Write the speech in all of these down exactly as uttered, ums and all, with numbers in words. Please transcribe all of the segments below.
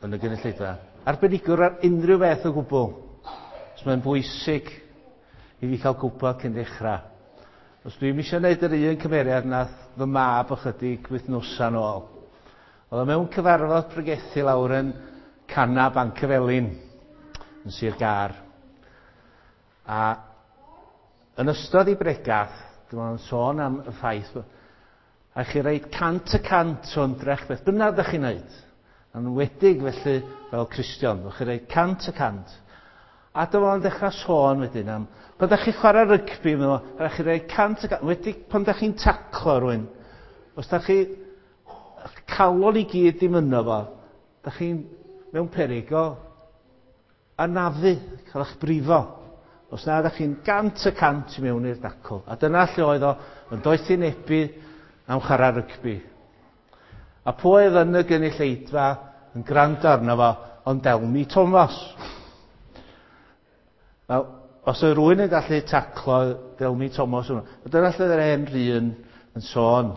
yn y gynulleidfa, arbenigwr ar unrhyw beth o gwbl. Os mae'n bwysig i fi cael gwybod cyn dechrau. Os dwi'm eisiau gwneud yr un cymeriad nath fy mab ychydig wythnosa nôl. Oedd o mewn cyfarfod pregethu lawr yn Canna Bancyfelin yn Sir Gâr. A yn ystod ei bregath, dyma o'n sôn am y ffaith, a chi roid cant y cant o ymdrech beth bynnag ydych chi'n neud. Yn enwedig felly fel Cristion, ddech chi roid cant y cant. A dyma o'n dechrau sôn wedyn am, pan ydych chi'n chwarae rygbi, meddwl, rhaid chi roi cant y cant, wedi pan ydych chi'n taclo rhywun, os ydych chi calon i gyd ddim yno fo, ydych chi'n mewn peryg o anafu, cael eich brifo. Os na ydych chi'n gant y cant i mewn i'r dacl. A dyna lle oedd o yn doethinebu am chwarae rygbi. A pwy oedd yn y gynulleidfa yn gwrando arno fo, ond Delmi Thomas. Wel, os oedd rhywun yn gallu taclo Delmi Thomas hwnnw, a dyna lle oedd yr hen rhan yn sôn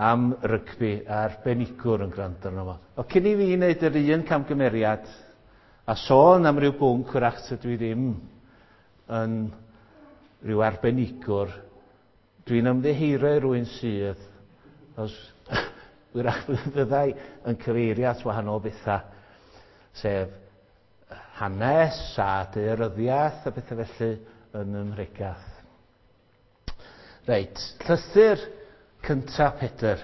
am rygbi a'r arbenigwr yn gwrando arno fo. O cyn i fi wneud yr un camgymeriad a sôn am ryw bwnc wrach tydw i ddim yn rhyw arbenigwr, dwi'n ymddiheuro i rywun sydd, os wrach fyddai yn cyfeirio at wahanol bethau, sef hanes a daearyddiaeth a bethau felly yn ym mhregath. Reit, llythyr cyntaf Pedr.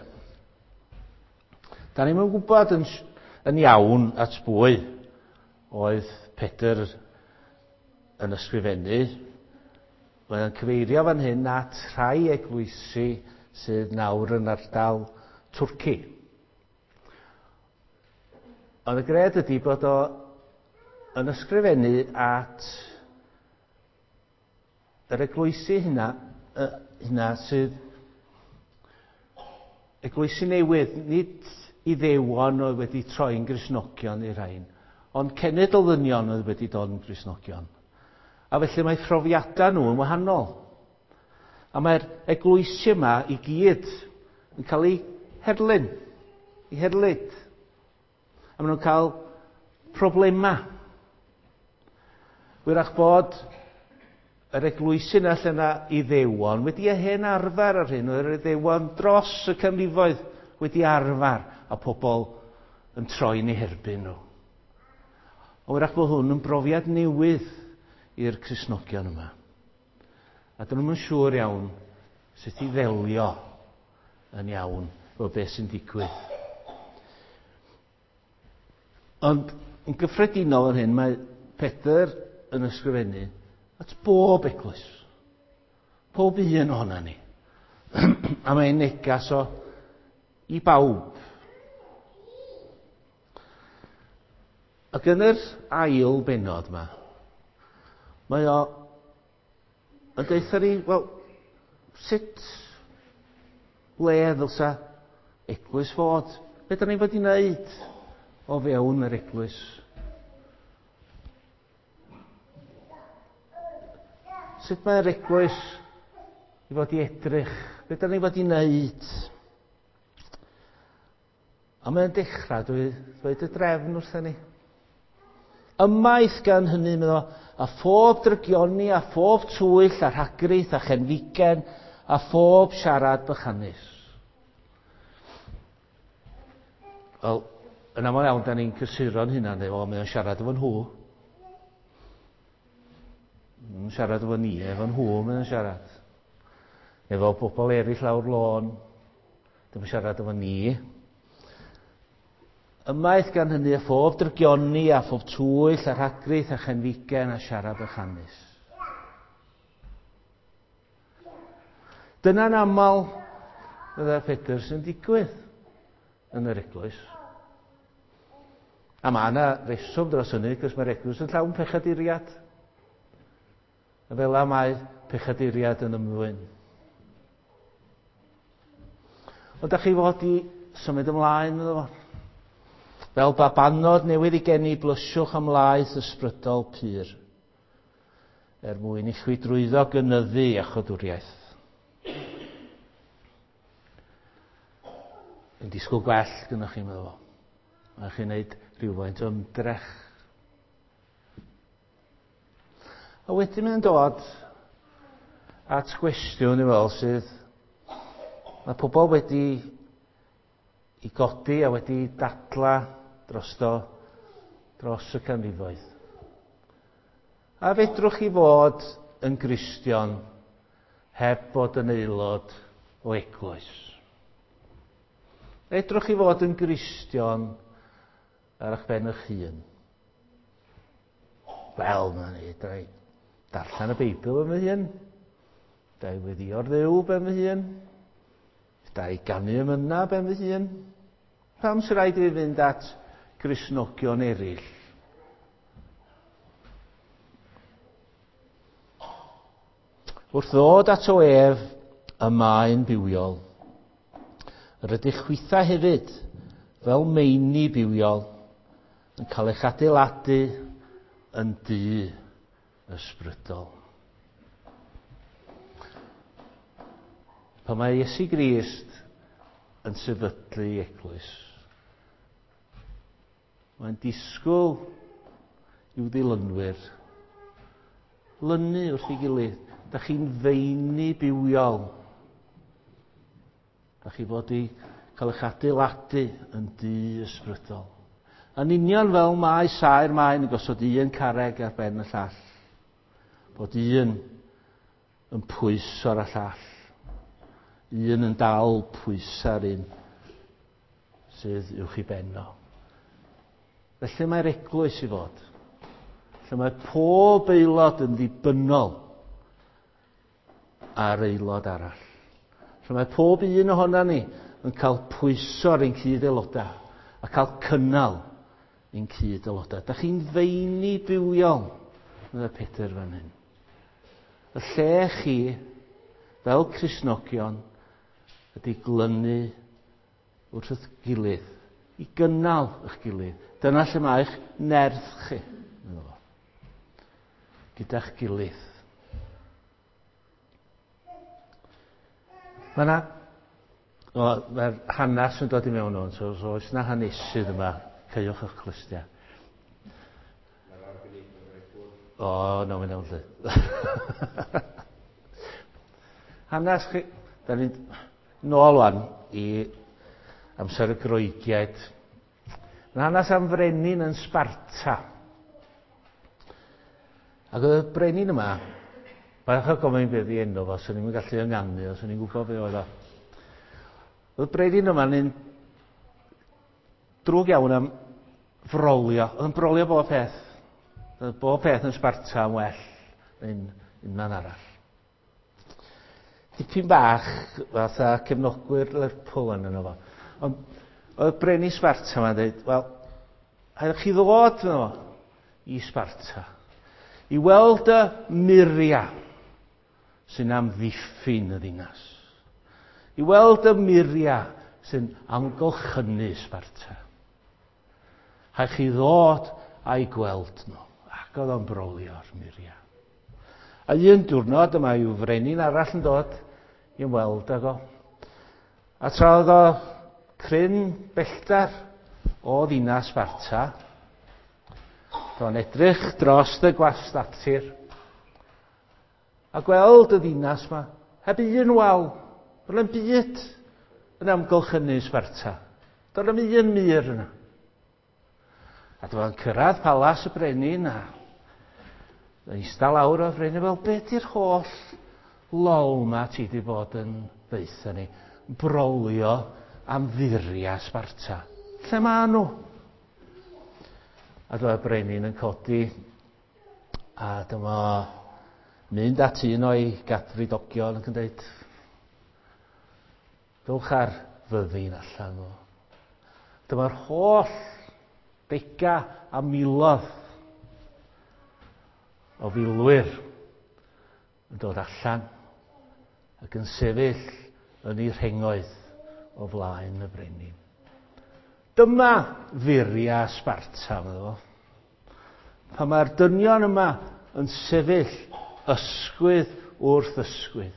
Da ni'm yn gwybod yn, yn iawn at bwy oedd Pedr yn ysgrifennu. Mae'n cyfeirio fan hyn at rhai eglwysi sydd nawr yn ardal Twrci. Ond y gred ydy bod o yn ysgrifennu at yr eglwysi hynna, hynna sydd eglwysi newydd, nid Iddewon oedd wedi troi'n Gristnogion i'r rhain, ond cenedl ddynion oedd wedi dod yn Gristnogion. A felly mae profiadau nhw yn wahanol. A mae'r eglwysi yma i gyd yn cael eu herlyn, eu herlid. A maen nhw'n cael problemau. Wyrach bod yr eglwysi yna lle yna Iddewon wedi hen arfer ar hyn, oedd yr Iddewon dros y canrifoedd wedi arfer a pobl yn troi'n eu herbyn nhw. Ond wyrach bod hwn yn brofiad newydd i'r Cristnogion yma. A dyn nhw'm yn siŵr iawn sut i ddelio yn iawn efo beth sy'n digwydd. Ond yn gyffredinol yn hyn, mae Pedr yn ysgrifennu at bob eglwys. Pob un ohona ni. A mae'n negas o i bawb. Ac yn yr ail bennod yma, mae o yn deutha ni, wel, sut le ddylsa eglwys fod? Be da ni fod i wneud o fewn yr eglwys? Sut mae'r eglwys i fod i edrych? Be da ni fod i wneud? A mae'n dechrau dwi dweud y drefn wrthyn ni. Ymaith gan hynny, meddwl, a phob drygioni, a phob twyll, a rhagrith, a chenfigen, a phob siarad bychanus. Wel, yn aml iawn, da ni'n cysuro'n hunan, o, mae o'n siarad efo nhw. Yn siarad efo ni, efo nhw mae'n siarad. Efo bobl eraill lawr lôn, dim yn siarad efo ni. Ymaith gan hynny a phob drygioni, a phob twyll, a rhagrith, a chenfigen, a siarad bychanus. Dyna'n aml fydda Pedr sy'n digwydd yn yr eglwys. A mae yna reswm dros hynny, cos mae'r eglwys yn llawn pechaduriad. A fel la mae pechaduriad yn ymddwyn. Ond da chi fod i symud ymlaen, meddwl fo. Fel babanod newydd i geni, blysiwch am laeth ysbrydol pur, er mwyn i chwi drwyddo gynyddu iachawdwriaeth. Yn disgwyl gwell gynnwch chi, meddwl fo. Mae chi'n gwneud rhywfaint o ymdrech. A wedyn mae'n dod at gwestiwn i fel sydd mae pobl wedi i godi a wedi dadla drosto dros y canrifoedd. A fedrwch chi fod yn Gristion heb fod yn aelod o eglwys? Fedrwch chi fod yn Gristion ar eich ben eich hun? Wel, mae'n neud, rhaid. Darllen y Beibl yn fy hun. Da i weddïo'r Dduw ben fy hun. Da i ganu emyna ben fy hun. Pam sy'n rhaid i fi fynd at Gristnogion eraill? Wrth ddod ato ef, y mae'n bywiol. Rydych chwitha hefyd, fel meini bywiol, yn cael eich adeiladu yn dŷ ysbrydol. Pan mae Iesu Grist yn sefydlu eglwys, mae'n disgwyl i'w ddilynwyr lynu wrth ei gilydd. Da chi'n feini bywiol. Da chi fod i cael eich adeiladu yn dŷ ysbrydol. Yn union fel mae saer maen yn gosod un carreg ar ben y llall. Bod un yn pwyso ar y llall. Un yn dal pwyso ar un sydd uwch i ben o. Felly mae'r eglwys i fod. Felly mae pob aelod yn ddibynnol ar aelod arall. Felly mae pob un ohona ni yn cael pwyso ar ein cyd-aelodau a cael cynnal ein cyd-aelodau. Da chi'n feini bywiol, meddai Pedr fan hyn. Y lle chi, fel Cristnogion, ydy glynu wrth eich gilydd, i gynnal eich gilydd. Dyna lle mae eich nerth chi, gyda'ch gilydd. Mae yna, mae'r hanes yn dod i mewn o'n, so, so oes yna hanesydd yma, caewch eich clustiau. O, no, mae'n iawn lle. Hanes chi, da ni'n nôl wan i amser y Groegiaid. Mae'n hanes am frenin yn Sparta. Ac oedd y brenin yma, bach o gofyn beth i enw fo, swn i'n gallu ynganu, os o'n i'n gwybod be oedd o. Oedd y brenin yma'n un drwg iawn am frolio. Oedd yn brolio bob peth. Oedd bob peth yn Sparta yn well neu'n unman arall. Dipyn bach fatha cefnogwyr Lerpwl yn yno fo. Ond oedd brenin Sparta yma'n dweud, wel, rhaid chi ddod yno fo i Sparta i weld y muriau sy'n amddiffyn y ddinas. I weld y muriau sy'n amgylchynu Sparta. Rhaid chi ddod a'i gweld nhw. Ac oedd o'n brolio'r muriau. A un diwrnod yma yw frenin arall yn dod i weld ag o. A tra oedd o cryn bellter o ddinas Sparta, do'n edrych dros y gwastatir a gweld y ddinas yma heb un wal, roedd na'm byd yn amgylchynu Sparta. Doedd na'm un mur yna. A dyma'n cyrraedd palas y brenin a eistedd lawr o'r brenin fel, be di'r holl lol ma ti di bod yn ddeutha ni? Brolio am furiau Sparta. Lle ma nhw? A dyma'r brenin yn codi a dyma mynd at un o'i gadfridogion ac yn dweud, dowch ar fyddin allan o. Dyma'r holl dega a miloedd o filwyr yn dod allan ac yn sefyll yn eu rhengoedd o flaen y brenin. Dyma furiau Sparta, meddwl fo. Pan mae'r dynion yma yn sefyll ysgwydd wrth ysgwydd.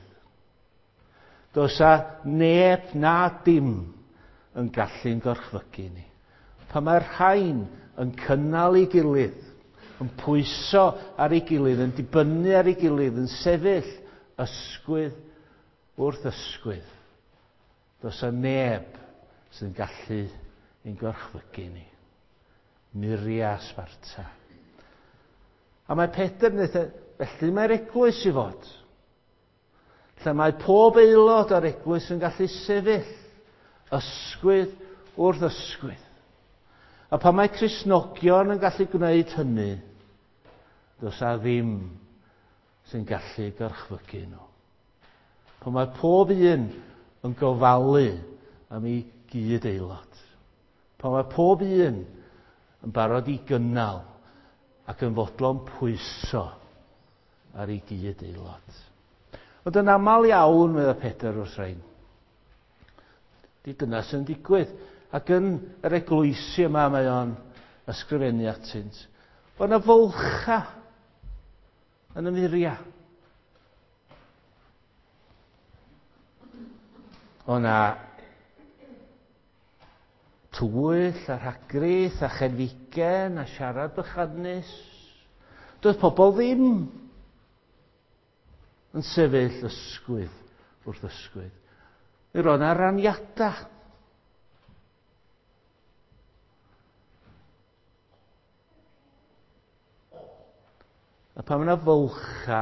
Does a neb na dim yn gallu'n gorchfygu ni. Pan mae'r rhain yn cynnal ei gilydd, yn pwyso ar ei gilydd, yn dibynnu ar ei gilydd, yn sefyll ysgwydd wrth ysgwydd, does yna neb sy'n gallu ein gorchfygu ni. Muria Sparta. A mae Pedr yn dweud, felly mae'r eglwys i fod. Lle mae pob aelod o'r eglwys yn gallu sefyll ysgwydd wrth ysgwydd. A pan mae Cristnogion yn gallu gwneud hynny, does a ddim sy'n gallu gorchfygu nhw. Pan mae pob un yn gofalu am ei gyd aelod. Pan mae pob un yn barod i gynnal ac yn fodlon pwyso ar ei gyd aelod. Ond yn aml iawn, meddai Pedr wrth rhain, di dyna sy'n digwydd. Ac yn yr eglwysi yma mae o'n ysgrifennu atynt. Bod yna fwlcha yn y muriau. O na twyll a rhagrith a chenfigen a siarad bychanus. Doedd pobl ddim yn sefyll ysgwydd wrth ysgwydd. Mi roedd yna raniadau. A pan mae yna fwlcha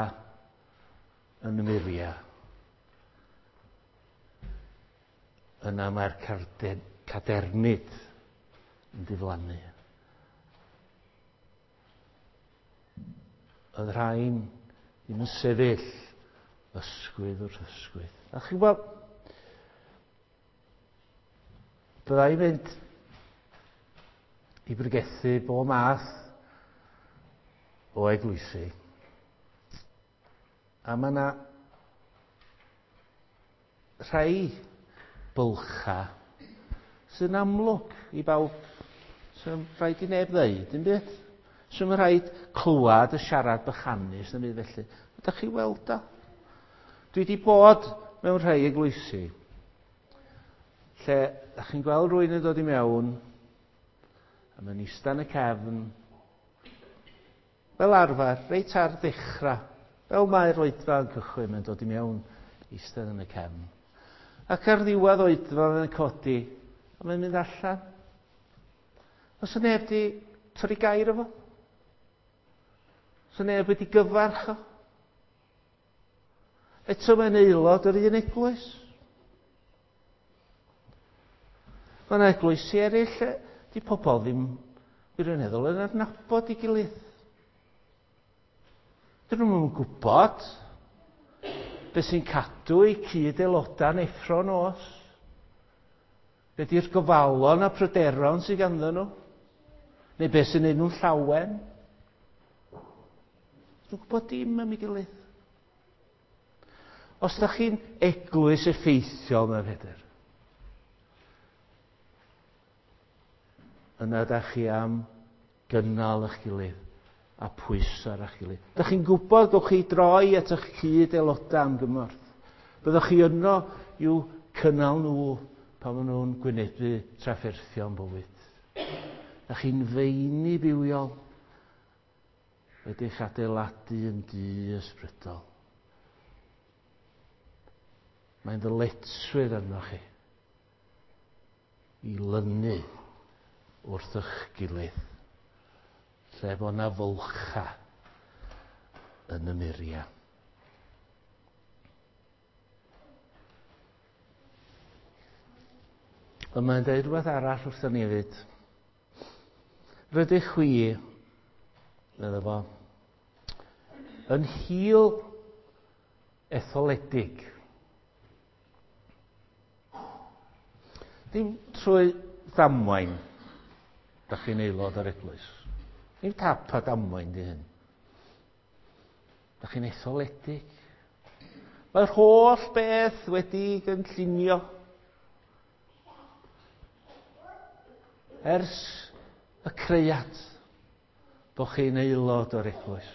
yn y muriau, yna mae'r cadernid yn diflannu. Oedd rhain ddim yn sefyll ysgwydd wrth ysgwydd. A chi'n gwybod, byddai mynd i bregethu bob math o eglwysi. A mae yna rhai bylcha sy'n amlwg i bawb. Sy'n rhaid i neb ddeud, dim byd. Sy'n rhaid clywed y siarad bychanus, ddim byd felly. Ydych chi weld o? Dwi wedi bod mewn rhai eglwysi lle ydych chi'n gweld rhywun yn dod i mewn a mae'n ista yn y cefn fel arfer, reit ar ddechrau, fel mae'r oedfa yn cychwyn, mae'n dod i mewn eistedd yn y cefn. Ac ar ddiwedd oedfa mae'n codi a mae'n mynd allan. Oes yna neb wedi torri gair efo? Oes yna neb wedi gyfarch o? Eto mae'n aelod o'r un eglwys. Mae yna eglwysi eraill lle di pobl ddim wirioneddol yn adnabod ei gilydd. Dyn nhw'n gwybod beth sy'n cadw eu cyd-aelodau'n effro nos. Be di'r gofalon a pryderon sydd ganddyn nhw? Neu beth sy'n neud nhw'n llawen? Dyn nhw'n gwybod dim am ei gilydd. Os da chi'n eglwys effeithiol, mae Pedr, yna da chi am gynnal eich gilydd a pwyso ar eich gilydd. Da chi'n gwybod gewch chi droi at eich cyd-aelodau am gymorth. Byddwch chi yno i'w cynnal nhw pan maen nhw'n gwynebu trafferthion bywyd. Da chi'n feini bywiol wedi'ch adeiladu yn dŷ ysbrydol. Mae'n ddyletswydd arnoch chi i lynu wrth eich gilydd, lle bod yna fwlcha yn y muriau. Ond mae'n dweud rhywbeth arall wrthon ni hefyd. Rydych chwi, medda fo, yn hil etholedig. Dim trwy ddamwain da chi'n aelod o'r eglwys. Dim tap a damwain di hyn. Da chi'n etholedig. Mae'r holl beth wedi gynllunio ers y creuad bod chi'n aelod o'r eglwys.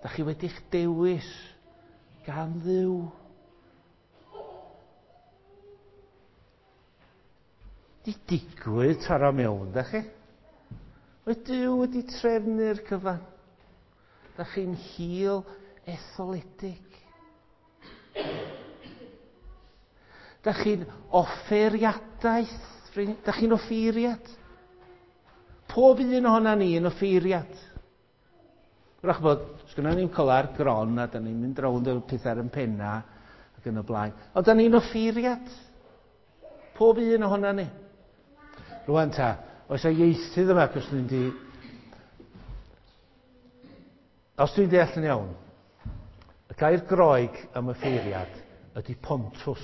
Da chi wedi'ch dewis gan Dduw. Di digwydd taro mewn, da chi? Mae Duw wedi trefnu'r cyfan. Da chi'n hil etholedig. Da chi'n offeiriadaeth. Da chi'n offeiriad. Pob un ohona ni yn offeiriad. Wrach bod, sgynna ni'n colar gron a da ni'n mynd rownd y pethau ar yn penna ac yn y blaen. Ond da ni'n offeiriad. Pob un ohona ni. Rwan ta, oes a ieithydd yma, cos dwi'n di... Os dwi'n deall yn iawn, y gair Groeg am offeiriad ydy pontus.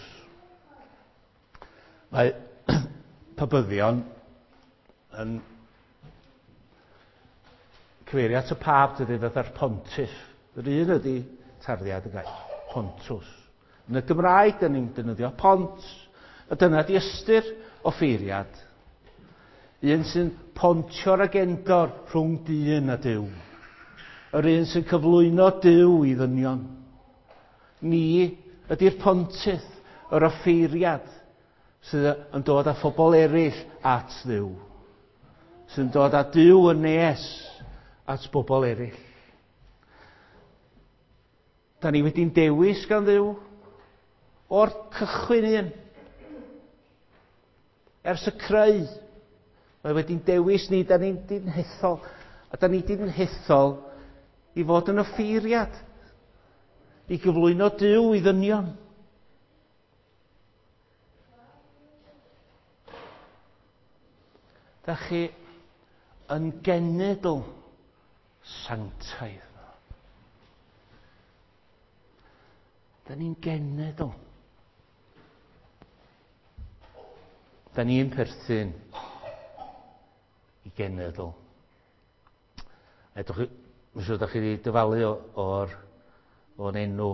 Mae pabyddion yn cyfeirio at y pab dydy fatha'r pontiff. Yr un ydy tarddiad y gair, pontus. Yn y Gymraeg, da ni'n defnyddio pont, a dyna di ystyr offeiriad. Un sy'n pontio'r agendor rhwng dyn a Duw. Yr un sy'n cyflwyno Duw i ddynion. Ni ydy'r pontydd, yr offeiriad, sydd yn dod â phobl eraill at Dduw. Sy'n dod â Duw yn nes at bobl eraill. Da ni wedi'n dewis gan Dduw o'r cychwyn un. Ers y creu, mae wedi'n dewis ni, da ni'n di'n hethol. A da ni di'n hethol i fod yn offeiriad, i gyflwyno Duw i ddynion. Da chi yn genedl sanctaidd. Da ni'n genedl. Da ni'n perthyn i genedl. Edrych, mae'n siŵr da chi wedi dyfalu o'r, o'n enw.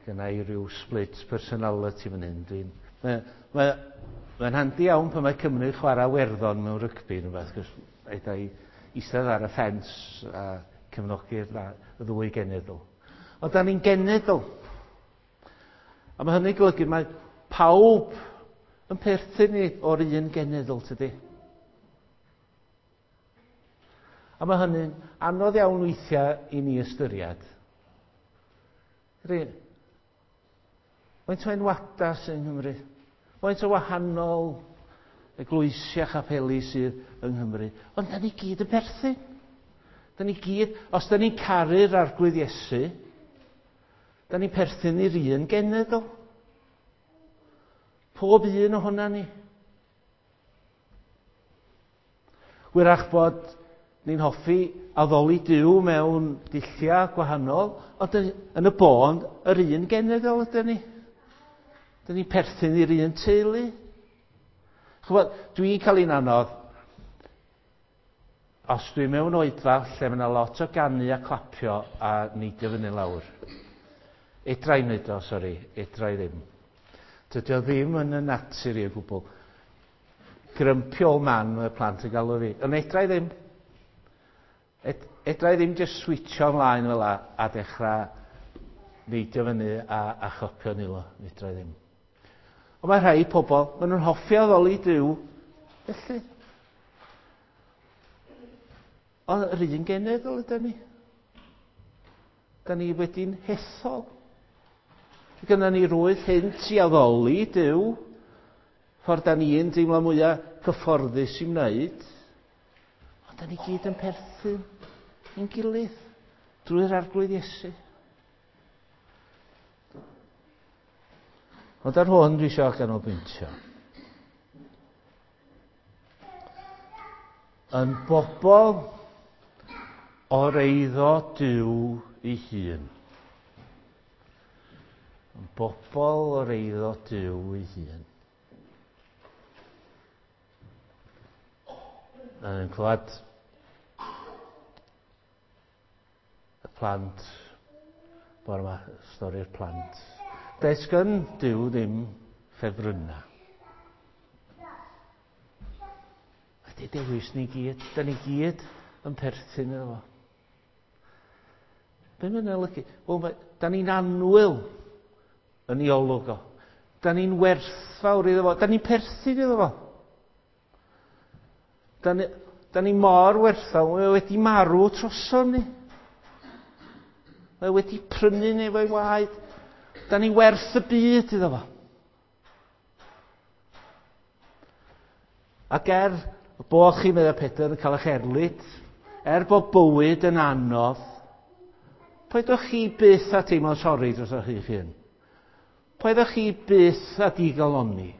Gynna i ryw split personality fan hyn. Dwi'n, mae, mae, mae'n handi iawn pan mae Cymru chwarae Werddon mewn rygbi neu beth, cos eida i eistedd ar y ffens a cefnogi'r y ddwy genedl. Ond da ni'n genedl. A mae hynny'n golygu mae pawb yn perthyn ni o'r un genedl, tydi? A mae hynny'n anodd iawn weithiau i ni ystyried. Faint o enwada sy'n Nghymru? Faint o wahanol eglwysi a chapeli sydd yng Nghymru? Ond da ni gyd yn perthyn. Da ni gyd, os da ni'n caru'r Arglwydd Iesu, da ni'n perthyn i'r un genedl. Pob un ohona ni. Wyrach bod ni'n hoffi addoli Duw mewn dulliau gwahanol, ond yn y bôn, yr un genedl ydyn ni. Dyn ni'n perthyn i'r un teulu. Chybod, dwi'n cael un anodd. Os dwi mewn oedfa lle mae yna lot o ganu a clapio a neidio fyny lawr. Edra i wneud o, sori, edra i ddim. Dydy o ddim yn y natur i o gwbl. Grumpy old man mae'r plant yn galw fi. Ond edra i ddim. Et, edra i ddim just switcho ymlaen fel a, a dechrau neidio fyny a, a chopio nilo. Edra i ddim. Ond mae rhai pobl, maen nhw'n hoffi addoli Duw, felly. Ond yr un genedl ydyn ni. Da ni wedi'n hethol. Gynna ni rwydd hynt i addoli Duw, ffordd da ni'n deimlo mwyaf cyfforddus i wneud. Ond da ni gyd yn perthyn i'n gilydd drwy'r Arglwydd Iesu. Ond ar hwn dwi eisiau ganolbwyntio. Yn bobl o'r eiddo Duw ei hun. Yn bobl o'r eiddo Duw ei hun. Yn clywed y plant, bore yma, stori'r plant. Does gan Duw ddim ffefrynnau. Ydy dewis ni gyd, da ni gyd yn perthyn iddo fo. Be mae'n olygu? Wel, da ni'n annwyl yn ei olwg o. Da ni'n werthfawr iddo fo. Da ni'n perthyn iddo fo. Da ni, da ni mor werthfawr, mae wedi marw troson ni. Mae wedi prynu ni efo'i waed. Da ni werth y byd iddo fo. Ac er bod chi, meddai Pedr, yn cael eich erlid, er bod bywyd yn anodd, paidwch chi byth â teimlo'n sori dros eich hun. Paidwch chi byth â digalonni.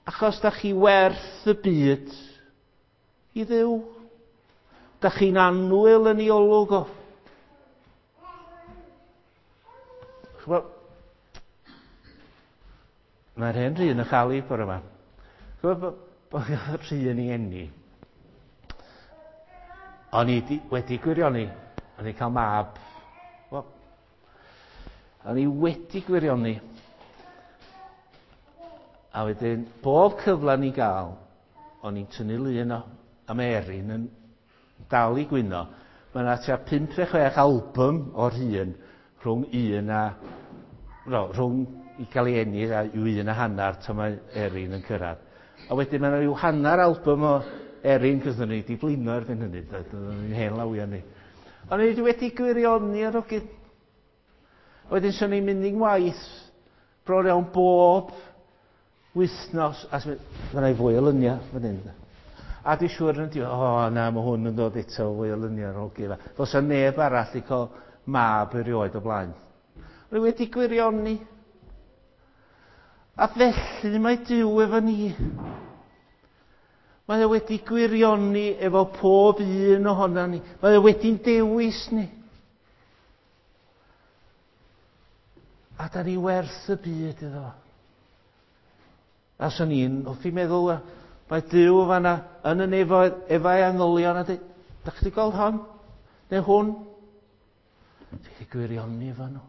Achos da chi werth y byd i Dduw. Da chi'n annwyl yn ei olwg o. Ch'bo', mae'r hen Rhun yn chael ei bore yma. Ch'bo' bod Rhun i eni. O'n i wedi gwirioni. O'n i'n cael mab. Wel, o'n i wedi gwirioni. A wedyn, bob cyfle ni gael, o'n i'n tynnu lun o am Erin yn dal i gwyno. Mae yna tua pump neu chwech album o'r hun rhwng un a... No, rhwng i gael ei eni a yw un a hanner tan mae Erin yn cyrraedd. A wedyn mae yna rhyw hanner album o Erin, cos o'n i wedi blino erbyn hynny, oedden ni'n hen lawio ni. O'n i wedi gwirioni ar ogyd. Wedyn swn i'n mynd i'n waith bron iawn bob wythnos, a mae yna fwy o luniau fan hyn. A dwi'n siŵr yn diwedd, o na, mae hwn yn dod eto fwy o luniau ar ôl gilydd. Does 'na neb arall i cael mab erioed o blaen. O'n i wedi gwirioni. A felly mae Duw efo ni. Mae o wedi gwirioni efo pob un ohonan ni. Mae o wedi'n dewis ni. A da ni werth y byd iddo. A swn i'n hoffi meddwl, mae Duw fanna yn y nefoedd efo'i angylion a dweud, da chi wedi gweld hon? Neu hwn? Dwi wedi gwirioni efo nhw.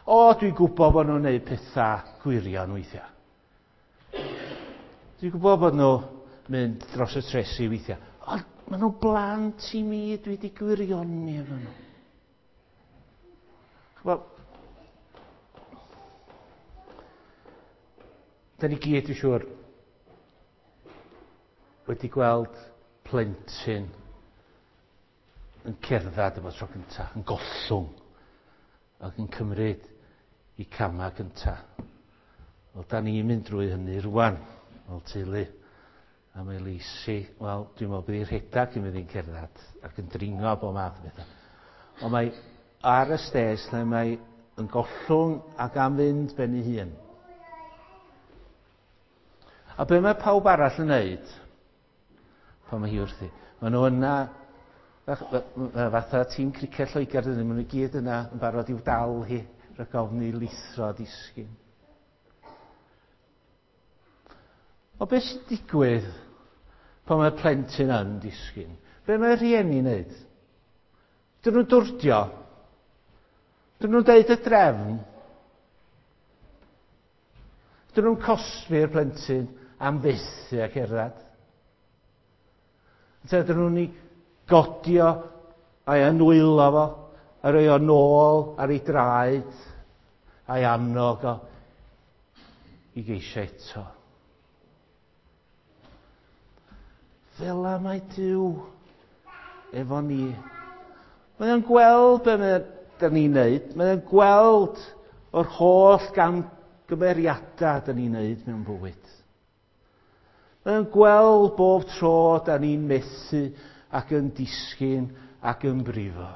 O, dwi'n gwybod bod nhw'n gwneud pethau gwirion weithiau. Dwi'n gwybod bod nhw mynd dros y tresi weithiau. Ond maen nhw'n blant i mi, dwi wedi gwirioni efo nhw. Ch'bo', da ni gyd, dwi'n siŵr, wedi gweld plentyn yn cerdded efo tro cyntaf, yn gollwng, ac yn cymryd i camau cyntaf. Wel, da ni'n mynd drwy hynny rwan, fel teulu. A mae Lisi, wel, dwi'n meddwl bydd hi'n rhedeg cyn mynd i'n cerdded ac yn dringo bob math o bethau. Ond mae ar y stês lle mae yn gollwng ac am fynd ben ei hun. A be mae pawb arall yn neud pan mae hi wrthi? Maen nhw yna, fatha tîm criced Lloegr, dyn nhw, maen nhw gyd yna yn barod i'w dal hi, rhag ofn i lithro a disgyn. O beth sy'n digwydd pan mae plentyn yn disgyn? Be mae rhieni'n neud? Dyn nhw'n dwrdio? Dyn nhw'n deud y drefn? Dyn nhw'n cosbi'r plentyn am fethu a cerdded? Ynte dyn nhw'n ei godio a'i anwylo fo, a rhoi o nôl ar ei draed, a'i annog o i geisio eto. Fel la mae Duw efo ni. Mae o'n gweld be mae da ni'n neud. Mae o'n gweld o'r holl gamgymeriadau da ni'n neud mewn bywyd. Mae o'n gweld bob tro da ni'n methu ac yn disgyn ac yn brifo.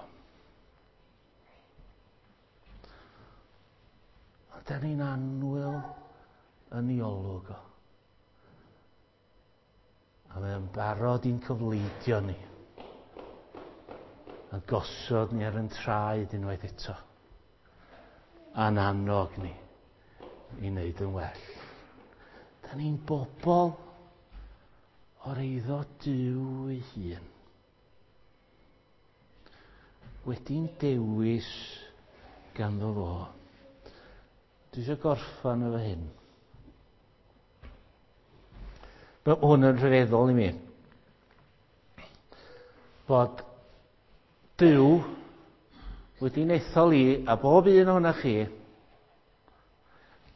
Ond da ni'n annwyl yn ei olwg o. A mae o'n barod i'n cyfleidio ni. A gosod ni ar yn traed unwaith eto. A'n annog ni i wneud yn well. Da ni'n bobl o'r eiddo Duw ei hun. Wedi'n dewis ganddo fo. Dwi eisiau gorffan efo hyn. Mae hwn yn rhyfeddol i mi. Bod Duw wedi'n ethol i a bob un ohonoch chi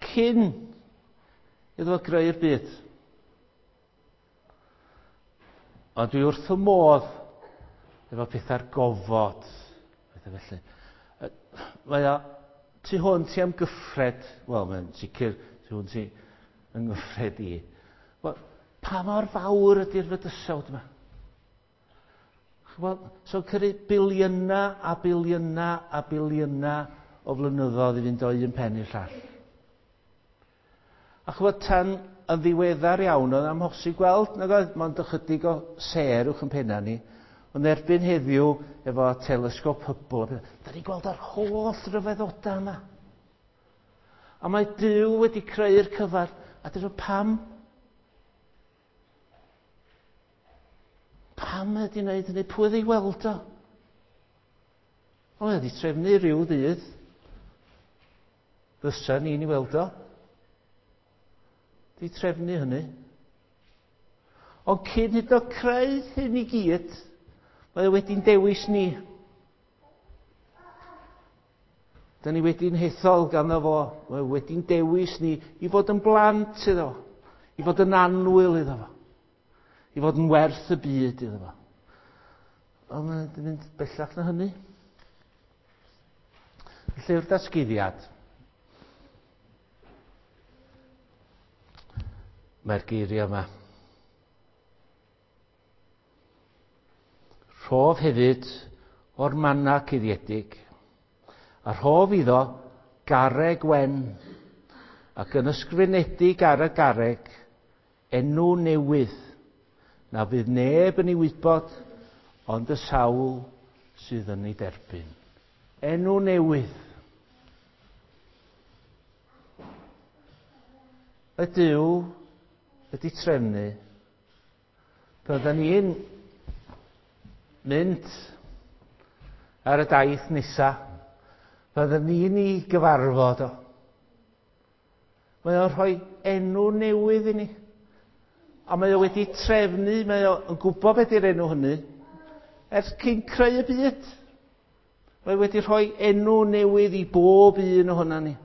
cyn iddo fo greu'r byd. Ond dwi wrth y modd efo pethau'r gofod. Pethau felly. Mae o tu hwnt i amgyffred, wel, mae'n sicr tu hwnt i ymgyffred i. Wel, pa mor fawr ydy'r fydysawd yma? Wel, so cyrru biliynau a biliynau a biliynau o flynyddoedd i fynd o un pen i'r llall. A chwbod, tan yn ddiweddar iawn, oedd amhosib gweld, nag oedd, mond ychydig o sêr uwch yn penna ni, ond erbyn heddiw, efo telesgop Hubble, da ni'n gweld yr holl ryfeddodau yma. A mae Duw wedi creu'r cyfan, a dyn nhw pam? Pam mae wedi wneud hynny? Pwy oedd ei weld o? O, mae wedi trefnu rhyw ddydd. Fysa ni'n ei weld o. Di trefnu hynny. Ond cyn hyd o creu hyn i gyd, mae o wedi'n dewis ni. Da ni wedi'n hethol ganddo fo. Mae o wedi'n dewis ni i fod yn blant iddo fo. I fod yn annwyl iddo fo. I fod yn werth y byd iddo fo. Ond mae'n mynd bellach na hynny. Llyfr Datguddiad. Mae'r geiriau yma. Rhof hefyd o'r manna cuddiedig, a rhof iddo garreg wen, ac yn ysgrifenedig ar y garreg, enw newydd, na fydd neb yn ei wybod, ond y sawl sydd yn ei derbyn. Enw newydd. Y Duw ydy trefnu, bydden ni'n mynd ar y daith nesa, bydden ni'n ei gyfarfod o. Mae o'n rhoi enw newydd i ni. A mae o wedi trefnu, mae o'n gwybod beth yw'r enw hynny, ers cyn creu y byd. Mae wedi rhoi enw newydd i bob un ohonan ni.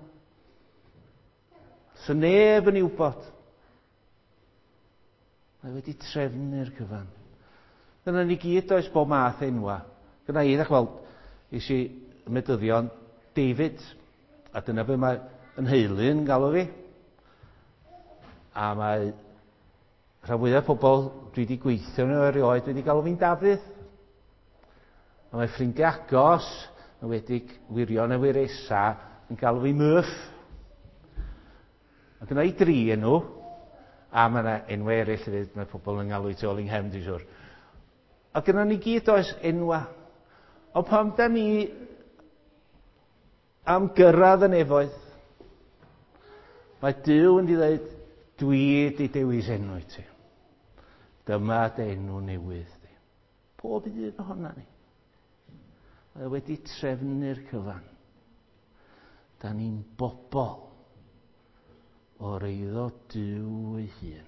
So neb yn ei wybod. Mae wedi trefnu'r cyfan. Dyna ni gyd oes bob math enwa. Gyna i, ddech weld, is i medyddion David, a dyna be mae yn heulu'n galw fi. A mae rhan fwyaf pobl dwi wedi gweithio nhw erioed wedi galw fi'n Dafydd. A mae ffrindiau agos, yn wedig wirion a wiresa, yn galw fi Murph. A gyna i dri enw, a mae yna enwau eraill hefyd, mae pobl yn galw i tu ôl i'n nghefn, dwi'n siŵr. A gyda ni gyd oes enwa. Ond pam da ni am gyrraedd y nefoedd, mae Duw yn dweud, dwi di dewis enw i ti. Dyma dy enw newydd di. Pob un ohona ni. Mae wedi trefnu'r cyfan. Da ni'n bobl o'r eiddo Duw ei hun.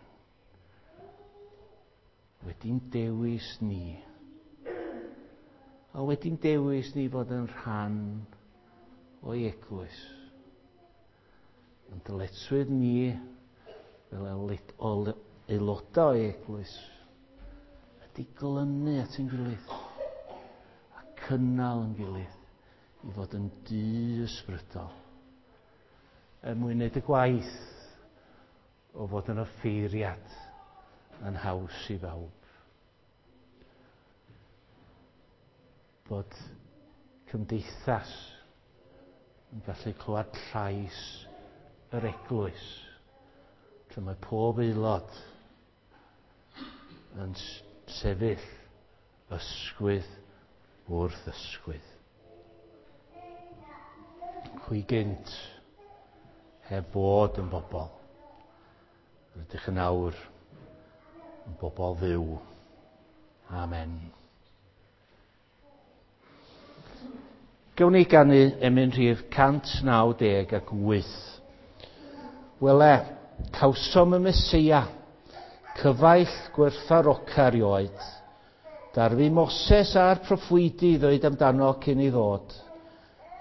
Wedi'n dewis ni. A wedi'n dewis ni fod yn rhan o'i eglwys. Yn dyletswydd ni fel aelodau o'i eglwys ydy glynu at ein gilydd a cynnal yn gilydd i fod yn dŷ ysbrydol er mwyn wneud y gwaith o fod yn offeiriad yn haws i bawb. Bod cymdeithas yn gallu clywed llais yr eglwys, lle mae pob aelod yn sefyll ysgwydd wrth ysgwydd. Chwi gynt heb fod yn bobl, rydych yn awr yn bobl fyw. Amen. Gawn ni ganu emyn rhif cant naw deg ac wyth. Wele, cawsom y Meseia, cyfaill gwerthfaroca erioed. Darfu Moses a'r proffwydi ddweud amdano cyn ei ddod.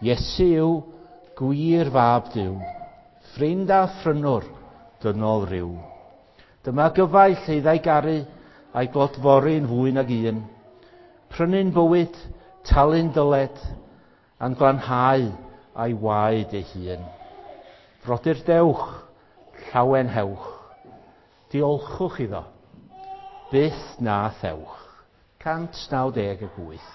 Iesu yw gwir fab Duw, ffrind a phrynwr dynol ryw. Dyma gyfaill ei ddau garu a'i glodfori'n fwy nag un. Prynu'n bywyd, talu'n dyled, a'n glanhau a'i waed ei hun. Frodyr dewch, llawen hewch, diolchwch iddo, byth na thewch. cant naw deg ag wyth.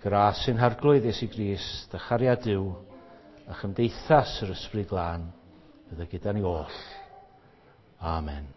Gras sy'n harglwydd Iesu Grist, a chariad Duw, a chymdeithas yr Ysbryd Glân, fydda gyda ni oll. Amen.